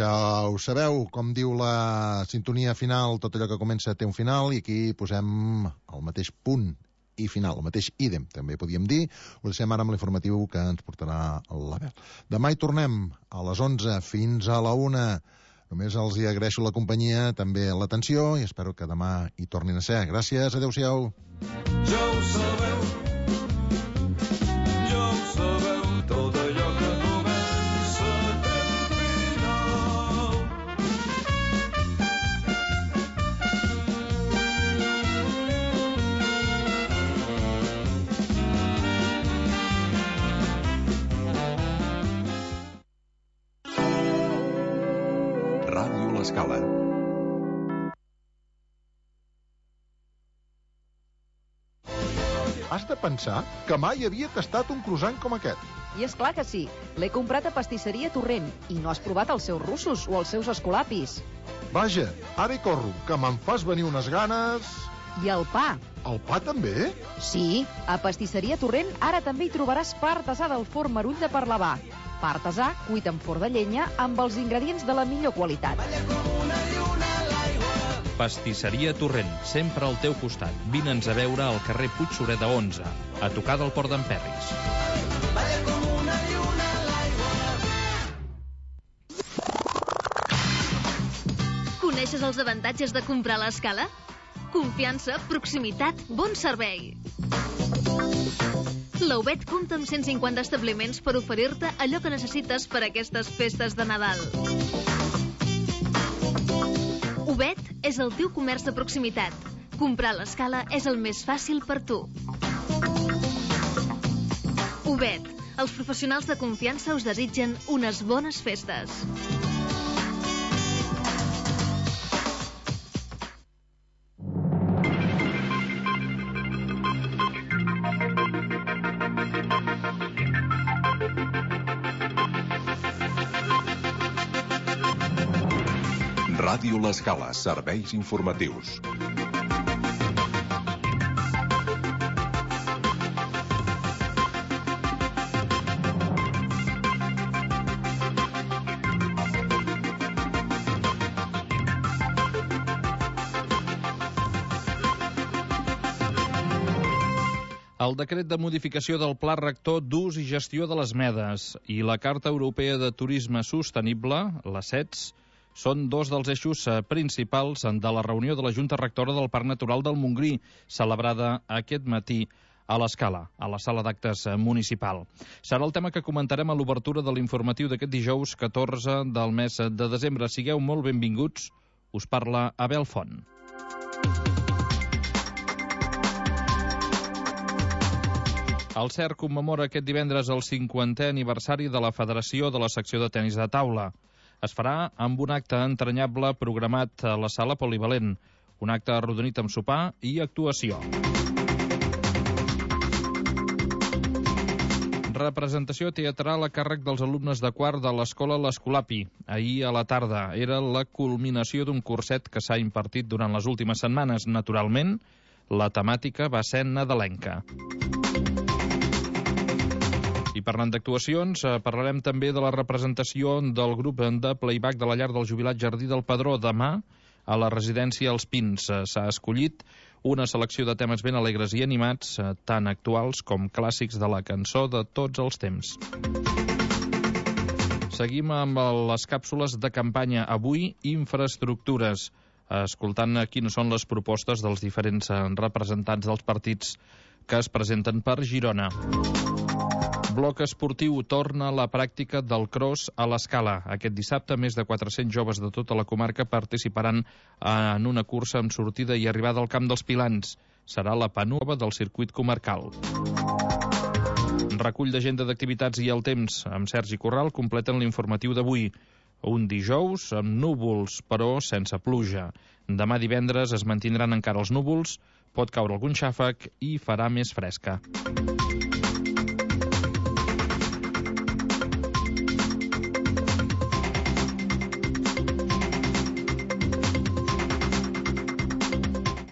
Ja ho sabeu, com diu la sintonia final, tot allò que comença té un final, i aquí posem el mateix punt i final, el mateix ídem, també podíem dir. Ho deixem ara amb l'informatiu que ens portarà l'Abel. Demà hi tornem a les 11 fins a la 1. Només els hi agraeixo la companyia, també l'atenció, i espero que demà hi tornin a ser. Gràcies, adeu-siau. Ja ho sabeu, tot allò que comença té un final. Ràdio L'Escala. Has de pensar que mai havia tastat un croissant com aquest. I és clar que sí. L'he comprat a Pastisseria Torrent i no has provat els seus russos o els seus escolapis. Vaja, ara hi corro, que me'n fas venir unes ganes... I el pa. El pa també? Sí, a Pastisseria Torrent ara també hi trobaràs pa artesà del forn Marull de Parlavà. Pa artesà cuit en forn de llenya amb els ingredients de la millor qualitat. Pastisseria Torrent, sempre al teu costat. Vine'ns a veure al carrer Puig Sureda 11, a tocar del Port d'en Perris. Coneixes els avantatges de comprar a l'Escala? Confiança, proximitat, bon servei. La UBET compta amb 150 establiments per oferir-te allò que necessites per a aquestes festes de Nadal. UBET és el teu comerç de proximitat. Comprar a l'Escala és el més fàcil per tu. UBET, els professionals de confiança us desitgen unes bones festes. Ràdio L'Escala, serveis informatius. El decret de modificació del Pla Rector d'Ús i Gestió de les Medes i la Carta Europea de Turisme Sostenible, la CETS, són dos dels eixos principals de la reunió de la Junta Rectora del Parc Natural del Montgrí, celebrada aquest matí a l'Escala, a la sala d'actes municipal. Serà el tema que comentarem a l'obertura de l'informatiu d'aquest dijous 14 del mes de desembre. Sigueu molt benvinguts. Us parla Abel Font. El CERC commemora aquest divendres el 50è aniversari de la Federació de la Secció de Tenis de Taula. Es farà amb un acte entranyable programat a la sala polivalent, un acte arrodonit amb sopar i actuació. Representació teatral a càrrec dels alumnes de quart de l'escola L'Escolapi. Ahir a la tarda era la culminació d'un curset que s'ha impartit durant les últimes setmanes. Naturalment, la temàtica va ser nadalenca. I parlant d'actuacions, parlarem també de la representació del grup de playback de la llar del jubilat Jardí del Pedró. Demà, a la residència Els Pins, s'ha escollit una selecció de temes ben alegres i animats, tant actuals com clàssics de la cançó de tots els temps. Seguim amb les càpsules de campanya. Avui, infraestructures, escoltant quines són les propostes dels diferents representants dels partits que es presenten per Girona. Bloc esportiu torna a la pràctica del cross a l'Escala. Aquest dissabte, més de 400 joves de tota la comarca participaran en una cursa amb sortida i arribada al Camp dels Pilans. Serà la penúltima del circuit comarcal. Recull d'agenda d'activitats i el temps amb Sergi Corral completen l'informatiu d'avui. Un dijous amb núvols, però sense pluja. Demà divendres es mantindran encara els núvols, pot caure algun xàfec i farà més fresca.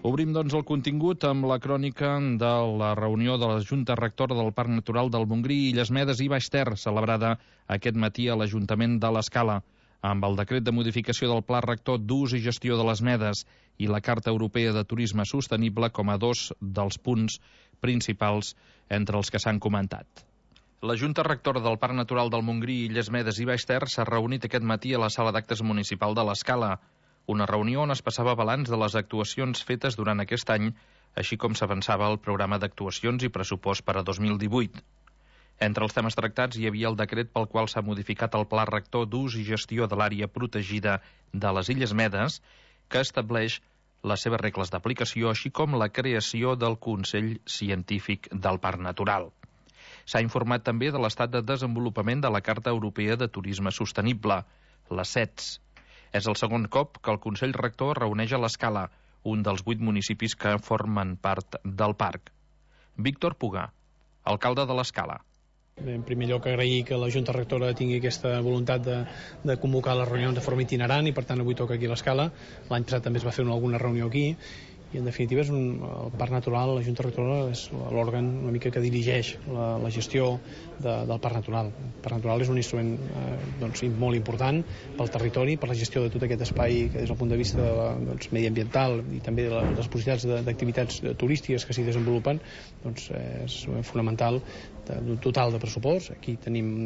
Obrim, doncs, el contingut amb la crònica de la reunió de la Junta Rectora del Parc Natural del Montgrí, Illes Medes i Baix Ter, celebrada aquest matí a l'Ajuntament de l'Escala. Amb el decret de modificació del Pla Rector d'ús i gestió de les medes i la Carta Europea de Turisme Sostenible com a dos dels punts principals entre els que s'han comentat. La Junta Rectora del Parc Natural del Montgrí, Illes Medes i Baix Ter s'ha reunit aquest matí a la Sala d'Actes Municipal de l'Escala, una reunió on es passava balanç de les actuacions fetes durant aquest any, així com s'avançava el programa d'actuacions i pressupost per a 2018. Entre els temes tractats hi havia el decret pel qual s'ha modificat el Pla Rector d'ús i gestió de l'àrea protegida de les Illes Medes, que estableix les seves regles d'aplicació, així com la creació del Consell Científic del Parc Natural. S'ha informat també de l'estat de desenvolupament de la Carta Europea de Turisme Sostenible, la CETS. És el segon cop que el Consell Rector reuneix a l'Escala, un dels 8 municipis que formen part del parc. Víctor Pugà, alcalde de l'Escala. En primer lloc, agrair que la Junta Rectora tingui aquesta voluntat de convocar les reunions de forma itinerant i, per tant, avui toca aquí a l'Escala. L'any passat també es va fer alguna reunió aquí i, en definitiva, el Parc Natural, la Junta Rectora, és l'òrgan una mica que dirigeix la gestió del Parc Natural. El Parc Natural és un instrument molt important pel territori, per la gestió de tot aquest espai que des del punt de vista mediambiental i també de les possibilitats d'activitats turístiques que s'hi desenvolupen, és fonamental. Total de pressupost, aquí tenim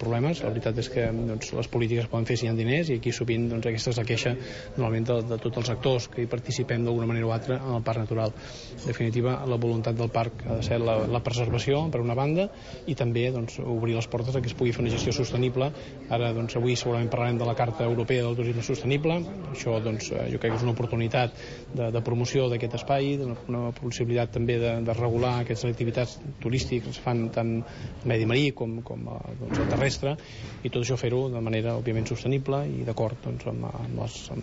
problemes. La veritat és que les polítiques es poden fer si hi ha diners, i aquí sovint aquesta és la queixa normalment de tots els actors que hi participem d'alguna manera o altra en el Parc Natural. En definitiva, la voluntat del parc ha de ser la preservació, per una banda, i també obrir les portes a que es pugui fer una gestió sostenible. Ara, avui segurament parlarem de la Carta Europea del Turisme Sostenible. Això jo crec que és una oportunitat de promoció d'aquest espai, una possibilitat també de regular aquestes activitats turístiques que es fan tant medi marí com el terrestre, i tot això fer-ho de manera òbviament sostenible i d'acord amb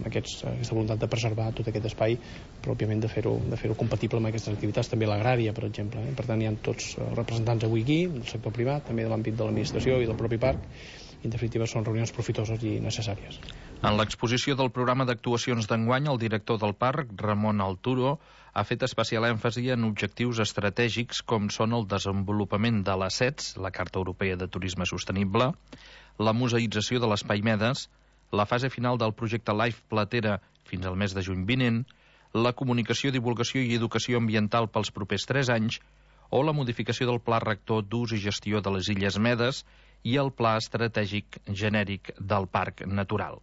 aquesta voluntat de preservar tot aquest espai, però òbviament de fer-ho compatible amb aquestes activitats, també l'agrària, per exemple. Per tant, hi ha tots representants avui aquí, del sector privat, també de l'àmbit de l'administració i del propi parc, i en definitiva són reunions profitoses i necessàries. En l'exposició del programa d'actuacions d'enguany, el director del parc, Ramon Alturo, ha fet especial èmfasi en objectius estratègics com són el desenvolupament de la CETS, la Carta Europea de Turisme Sostenible, la museïtzació de l'Espai Medes, la fase final del projecte Life Platera fins al mes de juny vinent, la comunicació, divulgació i educació ambiental pels propers 3 anys, o la modificació del Pla Rector d'ús i gestió de les Illes Medes i el Pla Estratègic Genèric del Parc Natural.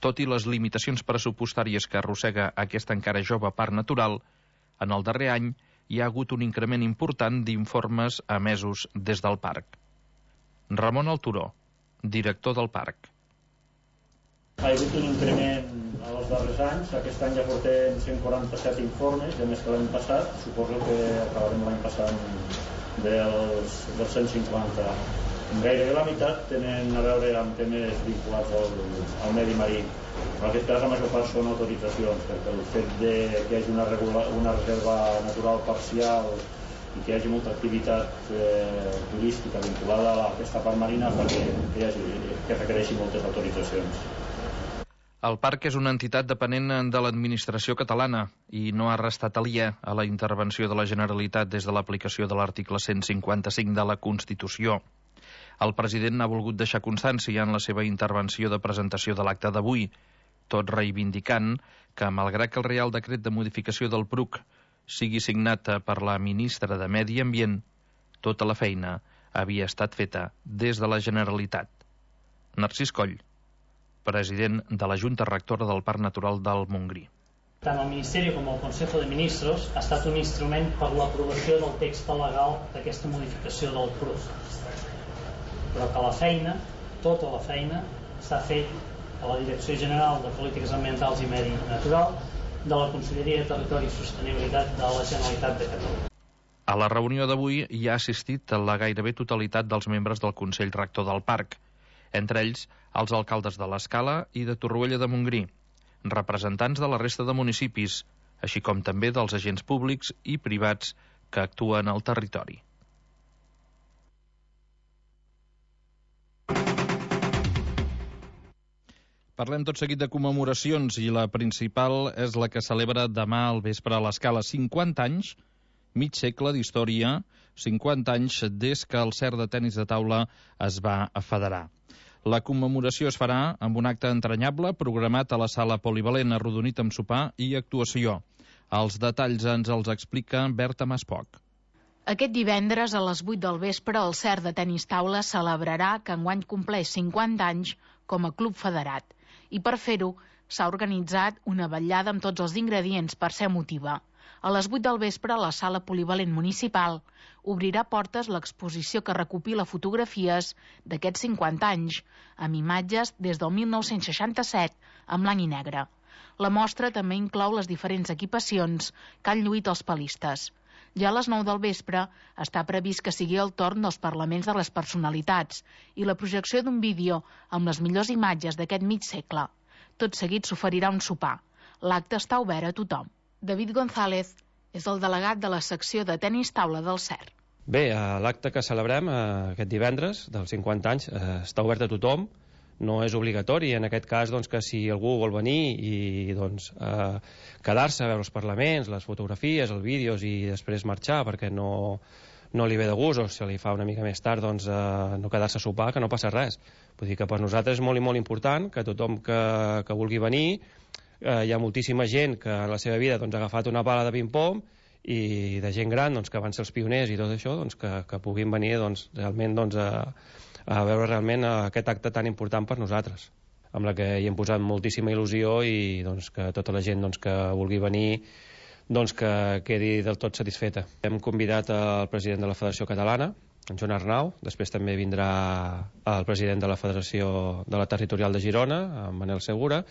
Tot i les limitacions pressupostàries que arrossega aquest encara jove parc natural, en el darrer any hi ha hagut un increment important d'informes emesos des del parc. Ramon Alturó, director del parc. Ha hagut un increment els darrers anys. Aquest any ja portem 147 informes, ja més que l'any passat. Suposo que acabarem l'any passat dels 150. Gairebé la meitat tenen a veure amb temes vinculats al medi marí. En aquest cas, la major part són autoritzacions, perquè el fet que hi hagi una reserva natural parcial i que hi hagi molta activitat turística vinculada a aquesta part marina fa que requereixi moltes autoritzacions. El parc és una entitat depenent de l'administració catalana i no ha restat aliè a la intervenció de la Generalitat des de l'aplicació de l'article 155 de la Constitució. El president ha volgut deixar constància en la seva intervenció de presentació de l'acte d'avui, tot reivindicant que, malgrat que el Reial Decret de modificació del PRUC sigui signat per la ministra de Medi Ambient, tota la feina havia estat feta des de la Generalitat. Narcís Coll, president de la Junta Rectora del Parc Natural del Montgrí. Tant el Ministeri com el Consejo de Ministros ha estat un instrument per l'aprovació del text legal d'aquesta modificació del PRUC. Però que la feina, tota la feina, s'ha fet a la Direcció General de Polítiques Ambientals i Medi Natural de la Conselleria de Territori i Sostenibilitat de la Generalitat de Catalunya. A la reunió d'avui hi ha assistit la gairebé totalitat dels membres del Consell Rector del Parc, entre ells els alcaldes de l'Escala i de Torroella de Montgrí, representants de la resta de municipis, així com també dels agents públics i privats que actuen al territori. Parlem tot seguit de commemoracions i la principal és la que celebra demà al vespre a l'Escala. 50 anys, mig segle d'història, 50 anys des que el CERT de tenis de taula es va federar. La commemoració es farà amb un acte entranyable programat a la sala polivalent, arrodonit amb sopar i actuació. Els detalls ens els explica Berta Maspoc. Aquest divendres a les 8 del vespre el CERT de tenis taula celebrarà que enguany compleix 50 anys com a club federat. I per fer-ho s'ha organitzat una vetllada amb tots els ingredients per ser emotiva. A les 8 del vespre, la sala polivalent municipal obrirà portes l'exposició que recopila fotografies d'aquests 50 anys, amb imatges des del 1967, en blanc i negre. La mostra també inclou les diferents equipacions que han lluït els palistes. Ja a les 9 del vespre està previst que sigui el torn dels parlaments de les personalitats i la projecció d'un vídeo amb les millors imatges d'aquest mig segle. Tot seguit s'oferirà un sopar. L'acte està obert a tothom. David González és el delegat de la secció de tenis taula del CERT. Bé, l'acte que celebrem aquest divendres dels 50 anys està obert a tothom, no és obligatori, en aquest cas doncs, que si algú vol venir i doncs, quedar-se a veure els parlaments, les fotografies, els vídeos i després marxar perquè no li ve de gust o se li fa una mica més tard doncs, no quedar-se a sopar, que no passa res. Vull dir que per nosaltres és molt i molt important que tothom que vulgui venir, hi ha moltíssima gent que en la seva vida doncs, ha agafat una pala de ping-pong i de gent gran doncs, que van ser els pioners i tot això doncs, que puguin venir doncs, realment doncs, a veure realment aquest acte tan important per nosaltres, amb la que hi hem posat moltíssima il·lusió i doncs, que tota la gent doncs, que vulgui venir doncs, que quedi del tot satisfeta. Hem convidat el president de la Federació Catalana, en Joan Arnau, després també vindrà el president de la Federació de la Territorial de Girona, en Manel Segura,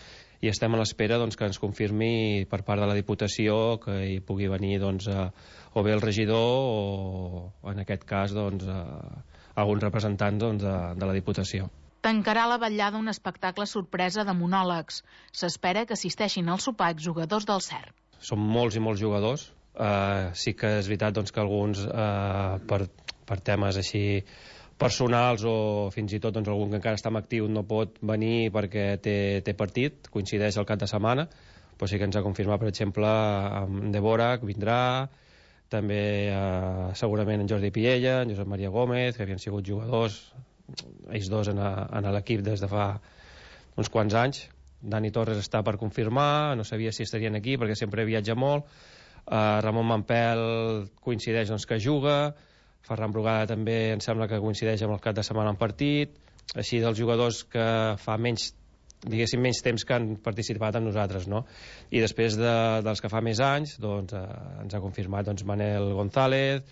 i estem a l'espera doncs, que ens confirmi per part de la Diputació que hi pugui venir doncs, o bé el regidor o en aquest cas doncs, algun representant doncs, de la Diputació. Tancarà la vetllada un espectacle sorpresa de monòlegs. S'espera que assisteixin al sopar jugadors del CERT. Són molts i molts jugadors. Sí que és veritat doncs, que alguns per temes així personals o fins i tot doncs, algun que encara està en actiu no pot venir perquè té partit, coincideix el cap de setmana, però sí que ens ha confirmat, per exemple, en Dvorak vindrà, també segurament en Jordi Piella, en Josep Maria Gómez, que havien sigut jugadors, ells dos en l'equip des de fa uns quants anys. Dani Torres està per confirmar, no sabia si estarien aquí perquè sempre viatja molt. Ramon Mampel coincideix doncs, que juga, Ferran Brugada també em sembla que coincideix amb el cap de setmana en partit, així dels jugadors que fa menys temps que han participat amb nosaltres, no? I després dels que fa més anys doncs, ens ha confirmat doncs, Manel González,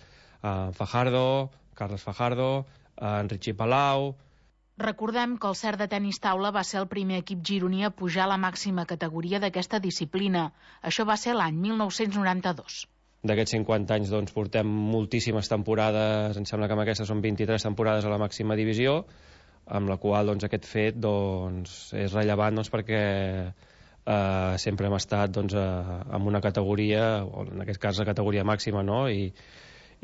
Fajardo, Carles Fajardo, en Richie Palau. Recordem que el CERT de tenis taula va ser el primer equip gironí a pujar a la màxima categoria d'aquesta disciplina. Això va ser l'any 1992. D'aquests 50 anys doncs, portem moltíssimes temporades, em sembla que amb aquestes són 23 temporades a la màxima divisió, amb la qual doncs, aquest fet doncs, és rellevant doncs, perquè sempre hem estat doncs, en una categoria, o en aquest cas la categoria màxima, no? I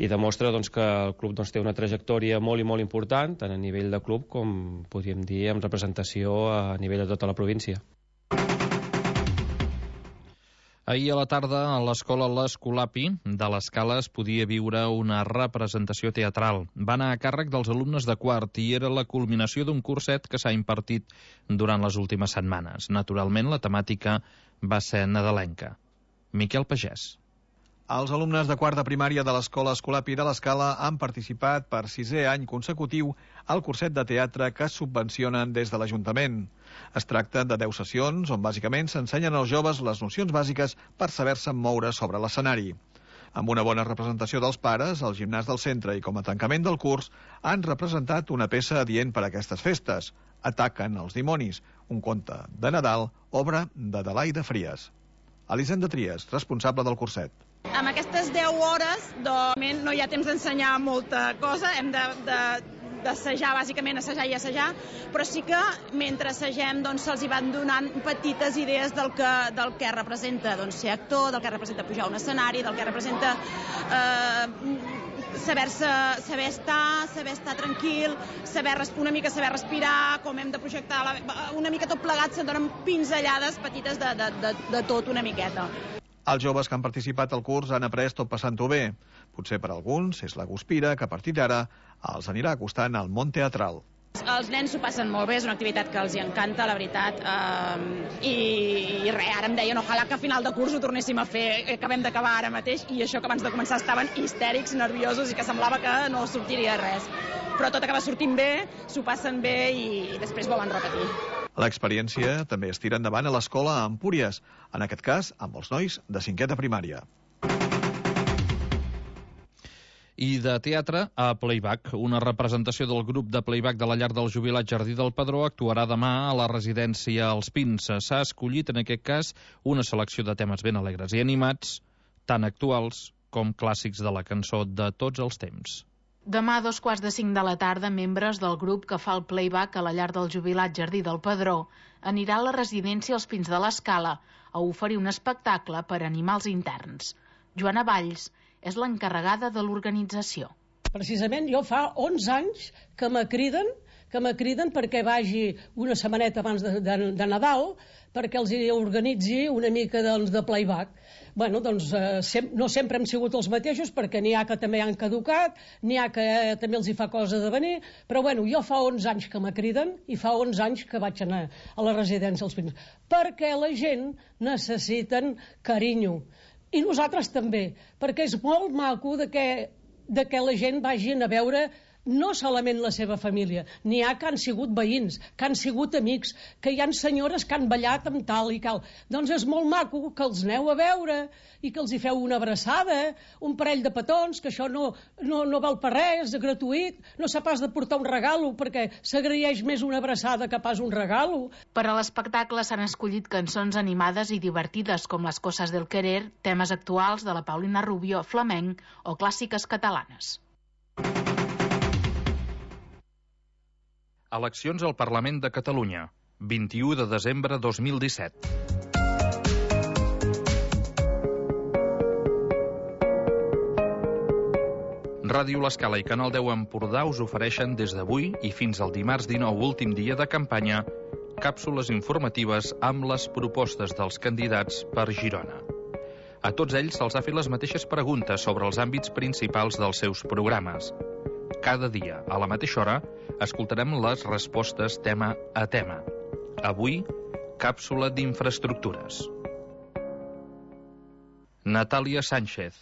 demostra doncs, que el club doncs, té una trajectòria molt i molt important, tant a nivell de club com podríem dir en representació a nivell de tota la província. Ahir a la tarda a l'escola l'Escolapi de l'Escala es podia viure una representació teatral. Va anar a càrrec dels alumnes de quart i era la culminació d'un curset que s'ha impartit durant les últimes setmanes. Naturalment, la temàtica va ser nadalenca. Miquel Pagès. Els alumnes de quart de primària de l'escola Escolapi de l'Escala han participat per 6è any consecutiu al curset de teatre que es subvencionen des de l'Ajuntament. Es tracta de 10 sessions on bàsicament s'ensenyen als joves les nocions bàsiques per saber-se moure sobre l'escenari. Amb una bona representació dels pares, el gimnàs del centre i com a tancament del curs han representat una peça adient per a aquestes festes. Ataquen els dimonis, un conte de Nadal, obra d'Adelaida Fries. Elisenda Tries, responsable del curset. Amb aquestes 10 hores doncs, no hi ha temps d'ensenyar molta cosa, hem d'assajar, bàsicament assajar i assajar, però sí que mentre assagem doncs, se'ls hi van donant petites idees del que representa doncs, ser actor, del que representa pujar a un escenari, del que representa saber estar tranquil, una mica saber respirar, com hem de projectar, una mica tot plegat, se'n donen pinzellades petites de tot una miqueta. Els joves que han participat al curs han après tot passant-ho bé. Potser per alguns és la guspira que a partir d'ara els anirà acostant al món teatral. Els nens s'ho passen molt bé, és una activitat que els hi encanta, la veritat, i res, ara em deien ojalà que a final de curs ho tornéssim a fer, acabem d'acabar ara mateix, i això que abans de començar estaven histèrics, nerviosos, i que semblava que no sortiria res. Però tot acaba sortint bé, s'ho passen bé i després volen repetir. L'experiència també es tira endavant a l'escola a Empúries, en aquest cas amb els nois de 5è de primària. I de teatre a Playback. Una representació del grup de Playback de la llar del jubilat Jardí del Pedró actuarà demà a la residència Els Pins. S'ha escollit, en aquest cas, una selecció de temes ben alegres i animats, tant actuals com clàssics de la cançó de tots els temps. Demà a 2:45 de la tarda, membres del grup que fa el Playback a la llar del jubilat Jardí del Pedró anirà a la residència Els Pins de l'Escala a oferir un espectacle per animar els interns. Joana Valls és l'encarregada de l'organització. Precisament jo fa 11 anys que me criden perquè vagi una setmaneta abans de Nadal perquè els organitzi una mica de playback. Bueno, doncs no sempre hem sigut els mateixos perquè n'hi ha que també han caducat, n'hi ha que també els hi fa cosa de venir, però bueno, jo fa 11 anys que me criden i fa 11 anys que vaig anar a la residència Els Pins perquè la gent necessiten carinyo. I nosaltres també, perquè és molt maco de que la gent vagin a veure no solament la seva família, n'hi ha que han sigut veïns, que han sigut amics, que hi ha senyores que han ballat amb tal i cal. Doncs és molt maco que els aneu a veure i que els hi feu una abraçada, un parell de petons, que això no val per res, és gratuït, no s'ha pas de portar un regalo, perquè s'agraeix més una abraçada que pas un regalo. Per a l'espectacle s'han escollit cançons animades i divertides com Les coses del querer, temes actuals de la Paulina Rubio, flamenc o clàssiques catalanes. Eleccions al Parlament de Catalunya, 21 de desembre 2017. Ràdio L'Escala i Canal 10 Empordà us ofereixen des d'avui i fins al dimarts 19, últim dia de campanya, càpsules informatives amb les propostes dels candidats per Girona. A tots ells se'ls ha fet les mateixes preguntes sobre els àmbits principals dels seus programes. Cada dia, a la mateixa hora, escoltarem les respostes tema a tema. Avui, càpsula d'infraestructures. Natàlia Sánchez,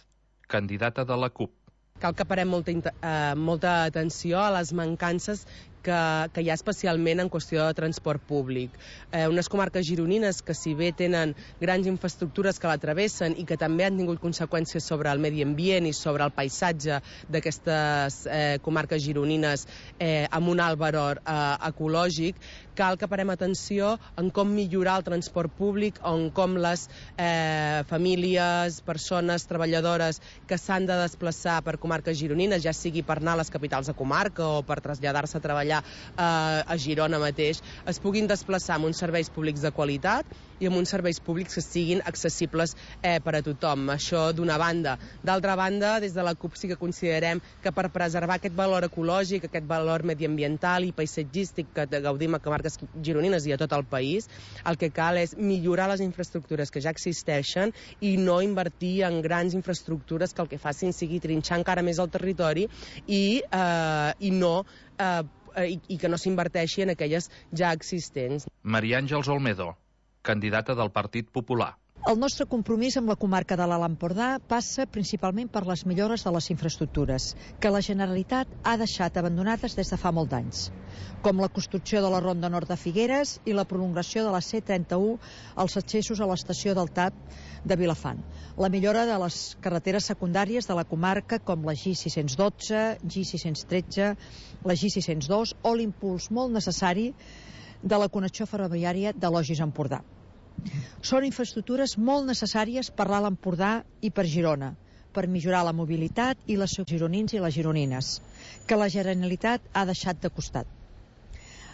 candidata de la CUP. Cal que parem molta atenció a les mancances que hi ha especialment en qüestió de transport públic. Unes comarques gironines que, si bé tenen grans infraestructures que la travessen i que també han tingut conseqüències sobre el medi ambient i sobre el paisatge d'aquestes comarques gironines amb un alt valor ecològic, cal que parem atenció en com millorar el transport públic, en com les famílies, persones, treballadores que s'han de desplaçar per comarques gironines, ja sigui per anar a les capitals de comarca o per traslladar-se a treballar a Girona mateix, es puguin desplaçar amb uns serveis públics de qualitat i amb uns serveis públics que siguin accessibles per a tothom. Això d'una banda. D'altra banda, des de la CUP sí que considerem que per preservar aquest valor ecològic, aquest valor mediambiental i paisatgístic que gaudim a comarques gironines i a tot el país, el que cal és millorar les infraestructures que ja existeixen i no invertir en grans infraestructures que el que facin sigui trinxar encara més el territori i que no s'inverteixi en aquelles ja existents. Maria Àngels Olmedo, candidata del Partit Popular. El nostre compromís amb la comarca de l'Alt Empordà passa principalment per les millores de les infraestructures, que la Generalitat ha deixat abandonades des de fa molt d'anys, com la construcció de la Ronda Nord de Figueres i la prolongació de la C31 als accessos a l'estació del TAP de Vilafant, la millora de les carreteres secundàries de la comarca com la G612, G613, la G602 o l'impuls molt necessari de la connexió ferroviària de Logis a Empordà. Són infraestructures molt necessàries per l'Alt Empordà i per Girona, per millorar la mobilitat i les gironins i les gironines, que la Generalitat ha deixat de costat.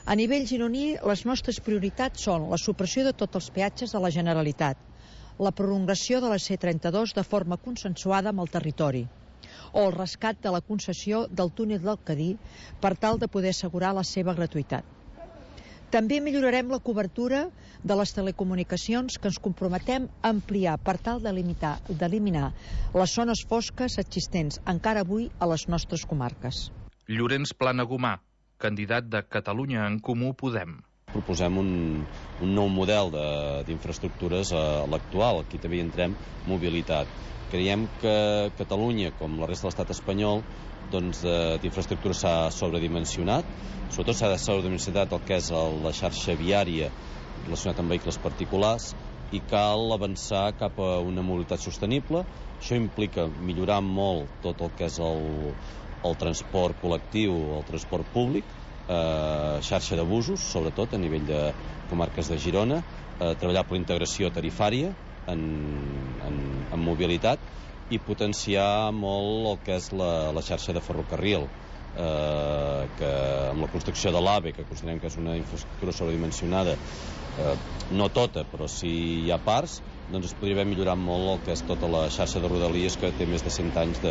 A nivell gironí, les nostres prioritats són la supressió de tots els peatges de la Generalitat, la prolongació de la C32 de forma consensuada amb el territori, o el rescat de la concessió del túnel del Cadí per tal de poder assegurar la seva gratuïtat. També millorarem la cobertura de les telecomunicacions que ens comprometem a ampliar per tal d'eliminar les zones fosques existents encara avui a les nostres comarques. Llorenç Planagumà, candidat de Catalunya en Comú Podem. Proposem un nou model d'infraestructures a l'actual. Aquí també hi entrem mobilitat. Creiem que Catalunya, com la resta de l'estat espanyol, d'infraestructures s'ha sobredimensionat. Sobretot s'ha sobredimensionat el que és la xarxa viària relacionat amb vehicles particulars i cal avançar cap a una mobilitat sostenible. Això implica millorar molt tot el que és el transport col·lectiu, el transport públic, xarxa de busos, sobretot a nivell de comarques de Girona, treballar per la integració tarifària en mobilitat i potenciar molt el que és la xarxa de ferrocarril, que amb la construcció de l'AVE, que considerem que és una infraestructura sobredimensionada, no tota, però si hi ha parts, doncs es podria haver millorat molt el que és tota la xarxa de Rodalies, que té més de 100 anys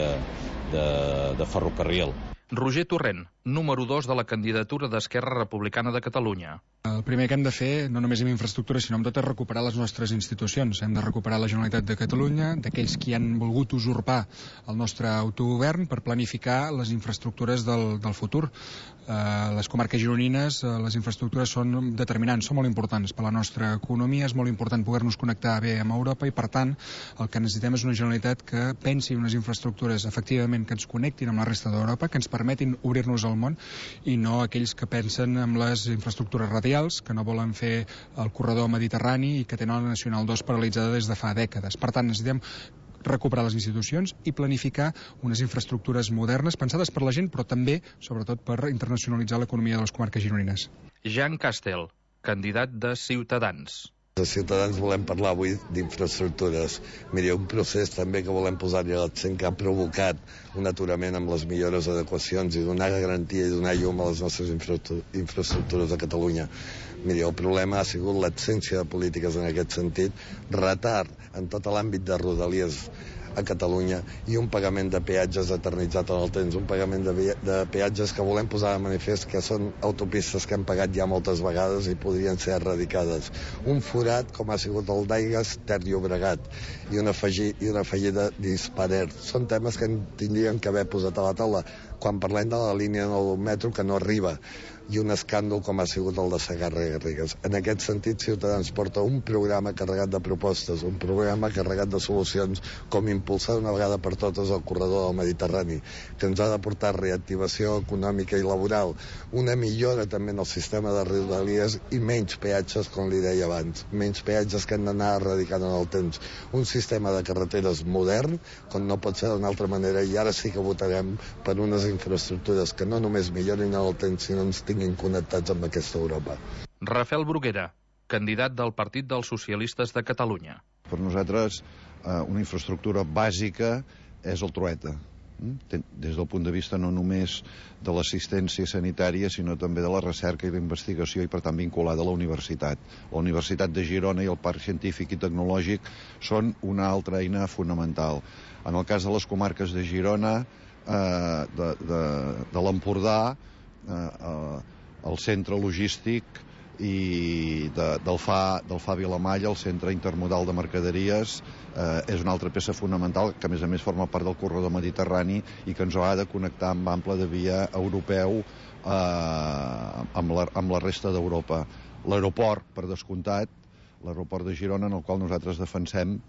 de ferrocarril. Roger Torrent, número 2 de la candidatura d'Esquerra Republicana de Catalunya. El primer que hem de fer, no només amb infraestructures, sinó amb tot, és recuperar les nostres institucions. Hem de recuperar la Generalitat de Catalunya, d'aquells qui han volgut usurpar el nostre autogovern per planificar les infraestructures del futur. Les comarques gironines, les infraestructures són determinants, són molt importants per la nostra economia, és molt important poder-nos connectar bé amb Europa i, per tant, el que necessitem és una Generalitat que pensi en unes infraestructures efectivament que ens connectin amb la resta d'Europa, que ens permetin obrir-nos al món, i no aquells que pensen en les infraestructures radials, que no volen fer el corredor mediterrani i que tenen la Nacional 2 paralitzada des de fa dècades. Per tant, necessitem recuperar les institucions i planificar unes infraestructures modernes, pensades per la gent, però també, sobretot, per internacionalitzar l'economia de les comarques gironines. Jean Castel, candidat de Ciutadans. Els ciutadans volem parlar avui d'infraestructures. Miri, un procés també que volem posar-hi l'accent que ha provocat un aturament amb les millores adequacions i donar garantia i donar llum a les nostres infraestructures de Catalunya. Miri, el problema ha sigut l'absència de polítiques en aquest sentit, retard en tot l'àmbit de Rodalies a Catalunya i un pagament de peatges eternitzat en el temps, un pagament de peatges que volem posar de manifest que són autopistes que hem pagat ja moltes vegades i podrien ser erradicades. Un forat com ha sigut el d'Aigües Ter Llobregat i una fallida d'Hispaner. Són temes que tindríem que haver posat a la taula quan parlem de la línia del metro que no arriba i un escàndol com ha sigut el de Segarra-Garrigues. En aquest sentit, Ciutadans porta un programa carregat de propostes, un programa carregat de solucions, com impulsar d'una vegada per totes el corredor del Mediterrani, que ens ha de portar reactivació econòmica i laboral, una millora també en el sistema de Rodalies i menys peatges, com li deia abans, menys peatges que hem d'anar erradicant en el temps. Un sistema de carreteres modern, com no pot ser d'una altra manera, i ara sí que votarem per unes infraestructures que no només millorin en el temps, sinó ens tinguin connectats amb aquesta Europa. Rafael Bruguera, candidat del Partit dels Socialistes de Catalunya. Per nosaltres, una infraestructura bàsica és el Trueta, des del punt de vista no només de l'assistència sanitària, sinó també de la recerca i la investigació, i per tant vinculada a la universitat. La Universitat de Girona i el Parc Científic i Tecnològic són una altra eina fonamental. En el cas de les comarques de Girona, de l'Empordà, el centre logístic i del FA Vilamalla, el centre intermodal de mercaderies, és una altra peça fonamental que a més forma part del corredor mediterrani i que ens ha de connectar amb ample de via europeu amb la resta d'Europa. L'aeroport, per descomptat, l'aeroport de Girona, en el qual nosaltres defensem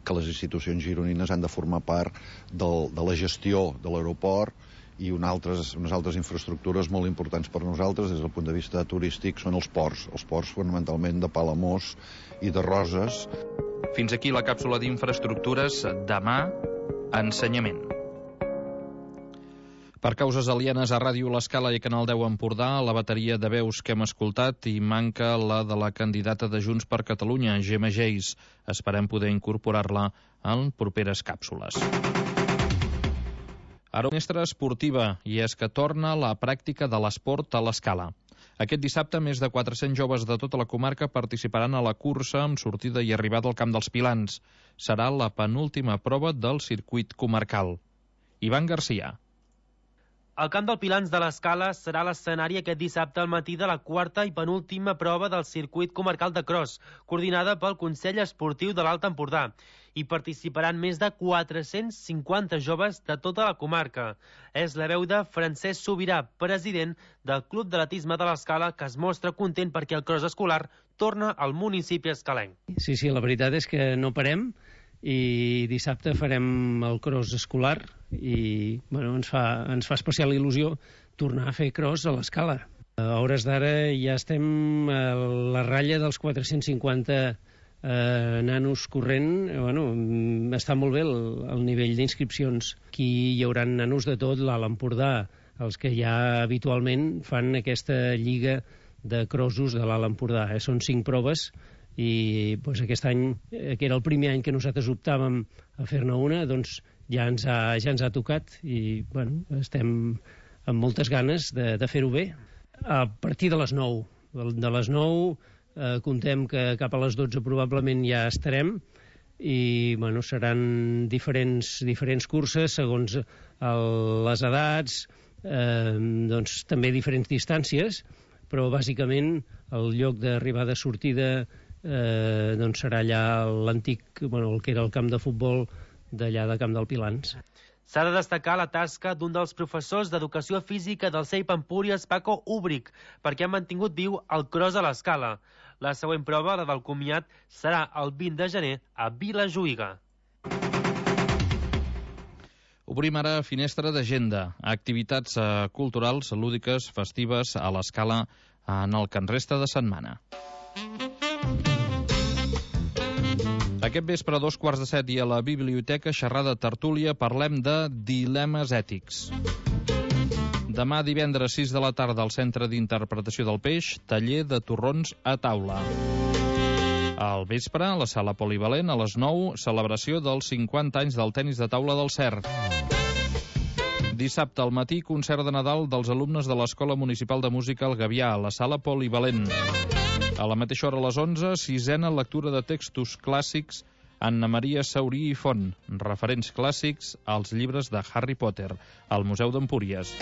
que les institucions gironines han de formar part de la gestió de l'aeroport, i unes altres infraestructures molt importants per nosaltres des del punt de vista turístic són els ports fonamentalment de Palamós i de Roses. Fins aquí la càpsula d'infraestructures. Demà, ensenyament. Per causes alienes a Ràdio L'Escala i Canal 10 Empordà, la bateria de veus que hem escoltat i manca la de la candidata de Junts per Catalunya, Gemma Geis. Esperem poder incorporar-la en properes càpsules. Ara una mestra esportiva, i és que torna la pràctica de l'esport a l'Escala. Aquest dissabte, més de 400 joves de tota la comarca participaran a la cursa amb sortida i arribada al Camp dels Pilans. Serà la penúltima prova del circuit comarcal. Ivan Garcia. El camp del Pilans de l'Escala serà l'escenari aquest dissabte al matí de la quarta i penúltima prova del circuit comarcal de cross, coordinada pel Consell Esportiu de l'Alt Empordà. Hi participaran més de 450 joves de tota la comarca. És la veu de Francesc Sobirà, president del Club d'Atletisme de l'Escala, que es mostra content perquè el cross escolar torna al municipi escalenc. Sí, la veritat és que no parem, i dissabte farem el cross escolar i ens fa especial il·lusió tornar a fer cross a l'Escala. A hores d'ara ja estem a la ratlla dels 450 nanos corrent. Està molt bé el nivell d'inscripcions. Aquí hi haurà nanos de tot l'Alt Empordà, els que ja habitualment fan aquesta lliga de crossos de l'Alt Empordà. Són 5 proves i aquest any, que era el primer any que nosaltres optàvem a fer-ne una, doncs ja ens ha tocat i estem amb moltes ganes de fer-ho bé. A partir de les 9. De les 9 comptem que cap a les 12 probablement ja estarem i seran diferents curses segons les edats, també diferents distàncies, però bàsicament el lloc d'arribada-sortida serà allà l'antic, el que era el camp de futbol d'allà de Camp del Pilans. S'ha de destacar la tasca d'un dels professors d'Educació Física del CEIP Empúries, Paco Úbric, perquè ha mantingut viu el cross a l'Escala. La següent prova, la del comiat, serà el 20 de gener a Vilajuïga. Obrim ara finestra d'agenda. Activitats culturals, lúdiques, festives a l'Escala en el que en resta de setmana. Aquest vespre a 7:15 i a la biblioteca xerrada tertúlia parlem de dilemes ètics. Demà divendres 6 de la tarda al Centre d'Interpretació del Peix, taller de torrons a taula. Al vespre, a la sala polivalent, a les 9, celebració dels 50 anys del tenis de taula del CERT. Dissabte al matí, concert de Nadal dels alumnes de l'Escola Municipal de Música al Gavià, a la sala polivalent. A la mateixa hora, a les 11, sisena lectura de textos clàssics Anna Maria Saurí i Font, referents clàssics als llibres de Harry Potter, al Museu d'Empúries.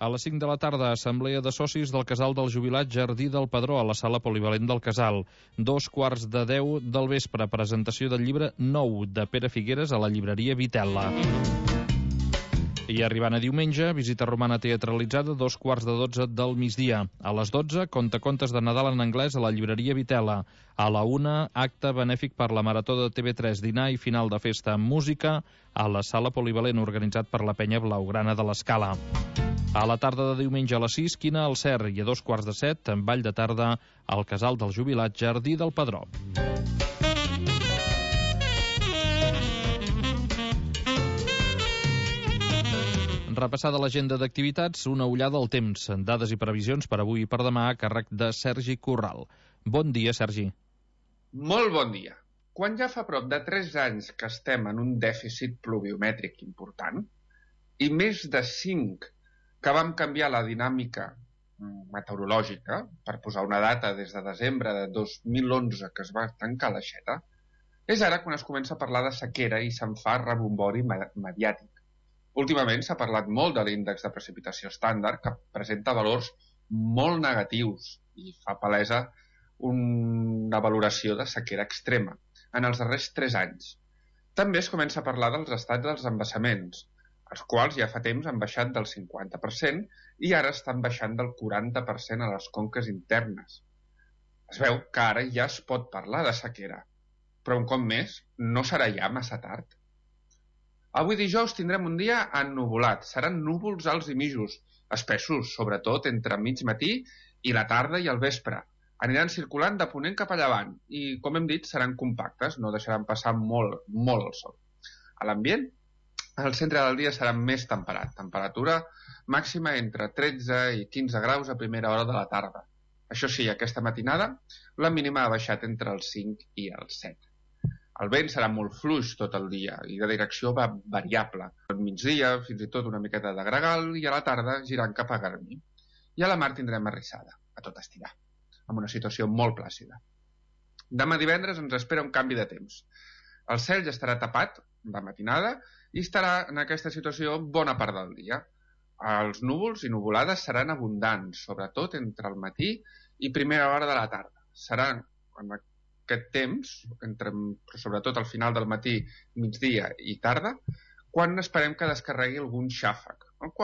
A les 5 de la tarda, assemblea de socis del Casal del Jubilat Jardí del Padró, a la sala polivalent del Casal. 9:15 del vespre, presentació del llibre Nou, de Pere Figueres, a la llibreria Vitella. I arribant a diumenge, visita romana teatralitzada, 11:15 del migdia. A les 12, contacontes de Nadal en anglès a la llibreria Vitella. A la 1, acte benèfic per la Marató de TV3, dinar i final de festa amb música a la sala polivalent organitzat per la penya blaugrana de l'Escala. A la tarda de diumenge a les 6, quina al CERT, i a 2:15, en ball de tarda al Casal del Jubilat Jardí del Padró. Repassada l'agenda d'activitats, una ullada al temps, dades i previsions per avui i per demà a càrrec de Sergi Corral. Bon dia, Sergi. Molt bon dia. Quan ja fa prop de 3 anys que estem en un dèficit pluviomètric important i més de 5 que vam canviar la dinàmica meteorològica, per posar una data des de desembre de 2011 que es va tancar l'aixeta, és ara quan es comença a parlar de sequera i se'n fa rebombori mediàtic. Últimament s'ha parlat molt de l'índex de precipitació estàndard, que presenta valors molt negatius i fa palesa una valoració de sequera extrema en els darrers 3 anys. També es comença a parlar dels estats dels embassaments, els quals ja fa temps han baixat del 50% i ara estan baixant del 40% a les conques internes. Es veu que ara ja es pot parlar de sequera, però un cop més no serà ja massa tard. Avui dijous tindrem un dia ennuvolat. Seran núvols alts i mitjos, espessos, sobretot entre mig matí i la tarda i el vespre. Aniran circulant de ponent cap a llevant i, com hem dit, seran compactes, no deixaran passar molt el sol. A l'ambient, el centre del dia serà més temperat. Temperatura màxima entre 13 i 15 graus a primera hora de la tarda. Això sí, aquesta matinada, la mínima ha baixat entre els 5 i els 7. El vent serà molt fluix tot el dia i de direcció variable. Al migdia, fins i tot una miqueta de gregal i a la tarda girant cap a Garmi. I a la mar tindrem arrissada, a tot estirar, amb una situació molt plàcida. Demà divendres ens espera un canvi de temps. El cel ja estarà tapat de matinada i estarà en aquesta situació bona part del dia. Els núvols i nuvolades seran abundants, sobretot entre el matí i primera hora de la tarda. Seran en aquest temps, sobretot al final del matí, migdia i tarda, quan esperem que descarregui algun xàfec.